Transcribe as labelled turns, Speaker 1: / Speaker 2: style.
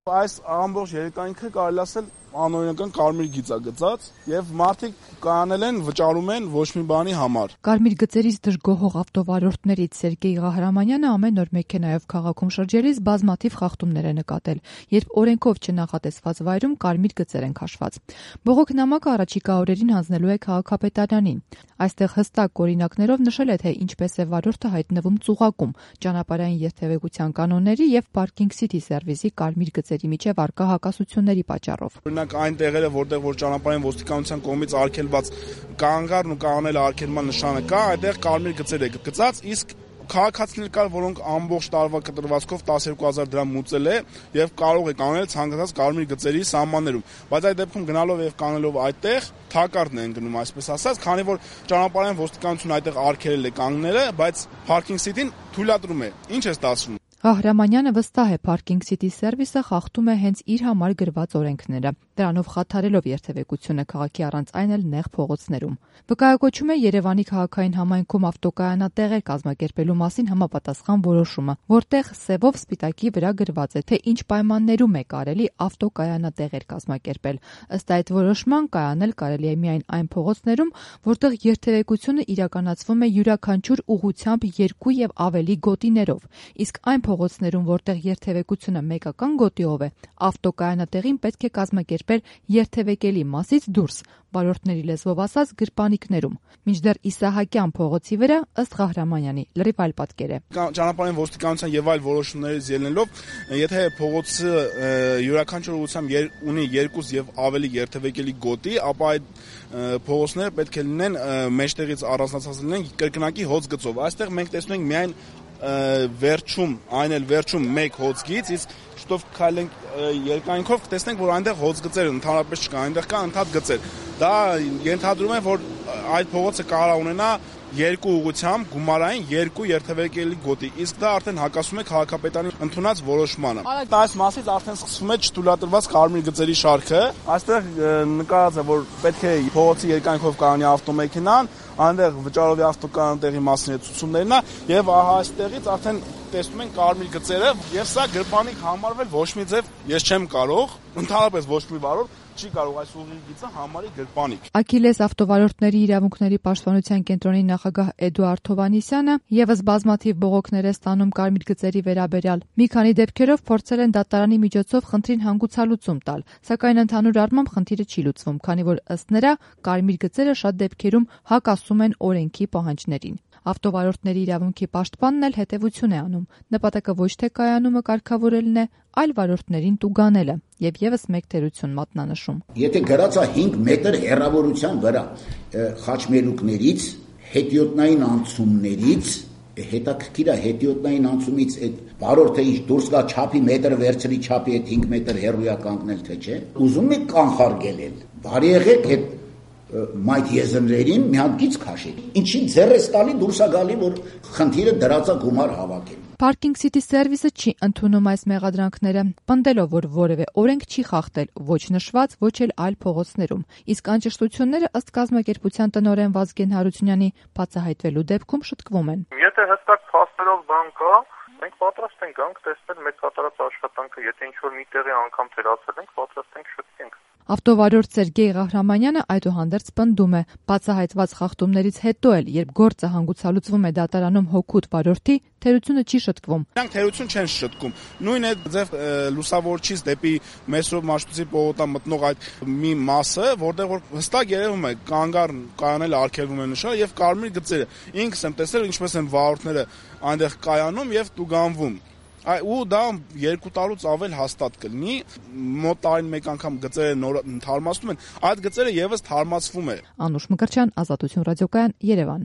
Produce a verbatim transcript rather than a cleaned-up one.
Speaker 1: Այս ամբողջ երկայնքը կարելի ասել անօրինական կարմիր գիծ է գծած եւ մարդիկ կանել են, վճարում են ոչ մի բանի համար։
Speaker 2: Կարմիր գծերից դժգոհող ավտովարորդներից Սերգեյ Ղահրամանյանը ամեն օր մեքենայով քաղաքում շրջելիս բազմաթիվ խախտումներ է նկատել, երբ օրենքով չնախատեսված վայրում կարմիր գծեր են քաշված։ Բողոք նամակը առաջիկա օրերին հանձնելու է քաղաքապետարանին։ Այստեղ հստակ օրինակներով նշել է, թե ինչպես է վարորդը հայտնվում ծուղակում, ճանապարհային երթևեկության կանոնների եւ Parking City Service-ի կարմիր գծերի միջև առկա հակասությունների պատճառով։
Speaker 1: Օրինակ այն տեղերը, որտեղ որ ճանապարհային ոստիկանության կողմից արգելված կանգառն ու կանոնել արգելման նշանը կա, այդտեղ կարմիր գծեր է գծած, իսկ քաղաքացիներ կար, որոնք ամբողջ տարվա կտրվածքով տասներկու հազար դրամ մուծել է եւ կարող է կանել ցանկացած կարմիր գծերի սահմաններում, բայց այդ դեպքում գնալով եւ կանելով այդտեղ թակարդն են գնում, այսպես ասած, քանի որ ճանապարհային ոստիկանությունը այդտեղ արգելել է կանգները, բայց Parking City-ն թույլատրում է։ Ինչ է ստացվում։
Speaker 2: Ղահրամանյանը վստահ է, Parking City Service-ը խախտում է հենց իր համար գրված օրենքները, դրանով խաթարելով երթևեկությունը քաղաքի առանց այն էլ նեղ փողոցներում։ Վկայակոչում է Երևանի քաղաքային համայնքում ավտոկայանատեղեր կազմակերպելու մասին համապատասխան որոշումը, որտեղ սևով սպիտակի վրա գրված է, թե ինչ պայմաններում է կարելի ավտոկայանատեղեր կազմակերպել։ Ըստ այդ որոշման կայանել կարելի է միայն այն փողոցներում, որտեղ երթևեկությունը իրականացվում է յուրաքանչյուր ուղղությամբ երկու եւ ավելի գոտիներով, իսկ այն փողոցներում, որտեղ երթևեկությունը մեկական գոտիով է, ավտոկայանատեղին պետք է կազմակերպել երթևեկելի մասից դուրս, վարորդների լեզվով ասած գրպանիկներում։ Մինչդեռ Իսահակյան փողոցի վրա, ըստ Ղահրամանյանի, լրիվ այլ պատկեր է։
Speaker 1: Ճանապարհային ոստիկանության եւ այլ որոշումներից ելնելով, եթե փողոցը յուրաքանչյուր ուղղությամբ ունի երկու եւ ավելի երթևեկելի գոտի, ապա այդ փողոցները պետք է լինեն մեջտեղից առանձնացած լինեն կրկնակի հոծ գծով։ Այստեղ մենք տեսնում ենք միայն վերջում, այն էլ վերջում մեկ հոծգից, իսկ շուտով քայլենք երկայնքով կտեսնենք, որ այնտեղ հոծգծեր ընդհանրապես չկան, այնտեղ կան ընդհատ գծեր։ Դա ենթադրում է, որ այդ փողոցը կարող է ունենա երկու ուղղությամբ գումարային երկու երթևեկելի գոտի, իսկ դա արդեն հակասում է քաղաքապետարանի ընդունած որոշմանը։ Այս մասից արդեն սկսվում է չթույլատրված կարմիր գծերի շարքը։ Այստեղ նկարած է, որ պետք է փողոցի երկայնքով կայանի ավտոմեքենան, այնտեղ վճարովի ավտոկանատեղի մասին է ցուցումներն է եւ ահա այստեղից արդեն տեսնում են կարմիր գծերը եւ սա գրպանիկ համարվել ոչ մի ձև ես չեմ կարող, ընդհանրապես ոչ մի վարորդ չի կարող այս ուղիղ գիծը համարի գրպանիկ։
Speaker 2: Աքիլես ավտովարորդների իրավունքների պաշտպանության կենտրոնի նախագահ Էդուարդ Հովհաննիսյանը եւս բազմաթիվ բողոքներ է ստանում կարմիր գծերի վերաբերյալ։ Մի քանի դեպքերով փորձել են դատարանի միջոցով խնդրին հանգուցալուծում տալ, սակայն ընդհանուր առմամբ խնդիրը չի լուծվում, քանի որ ըստ նրա կարմիր գծերը շատ դեպքերում հակասում են օրենքի պահանջներին։ Ավտովարորդների իրավունքի պաշտպանն էլ հետևություն է անում։ Նպատակը ոչ թե կայանումը կարգավորելն է, այլ վարորդներին տուգանելը եւ եւս մեկ թերություն մատնանշում։
Speaker 3: Եթե գրած է հինգ մետր հեռավորության վրա խաչմերուկներից, հետիոտնային անցումներից, հետաքրքիր է հետիոտնային անցումից այդ վարորդը ինչ դուրս գա չափի մետր վերցրի չափի այդ հինգ մետր հեռույա կանգնել թե չէ։ Ուզում եք կանխարգելել։ Բարի եղեք այդ մայթ եզրերին մի հատ գիծ քաշեք։ Ինչի ձեռ ես տալի դուրս է գալի, որ խնդիրը դրածա գումար հավաքել։
Speaker 2: Parking City Service-ը չի ընդունում այս մեղադրանքները, պնդելով, որ որևէ օրենք չի խախտել ոչ նշված, ոչ էլ այլ փողոցներում։ Իսկ անճշտությունները ըստ կազմակերպության տնօրեն Վազգեն Հարությունյանի բացահայտվելու դեպքում շտկվում են։
Speaker 4: Եթե հստակ փաստերով բան կա, մենք պատրաստ ենք գանք տեսնել մեծ կատարած աշխատանքը, եթե ինչ-որ մի տեղի անգամ թերացել ենք, պատրաստ ենք շտկենք։
Speaker 2: Ավտովարորդ Սերգեյ Ղահրամանյանը այդուհանդերձ պնդում է, բացահայտված խախտումներից հետո էլ, երբ գործը հանգուցալուծվում է դատարանում հօգուտ վարորդի, թերությունը չի շտկվում։
Speaker 1: Նրանք թերություն չեն շտկում։ Նույն է ձև լուսավորչից դեպի Մեսրոպ Մաշտոցի պողոտա մտնող այդ մի մասը, որտեղ որ հստակ երևում է կանգառն կայանել արգելվում է նշանը եւ կարմիր գծերը։ Ինքս եմ տեսել ինչպես են վարորդները այնտեղ կայանում եւ տուգանվում։ Ու դա երկու տարուց ավել հաստատ կլինի, մոտ տարին մեկ անգամ գծերը նոր թարմացնում են, այդ գծերը եւս թարմացվում է։
Speaker 2: Անուշ Մկրտչյան, Ազատություն ռադիոկայան, Երևան։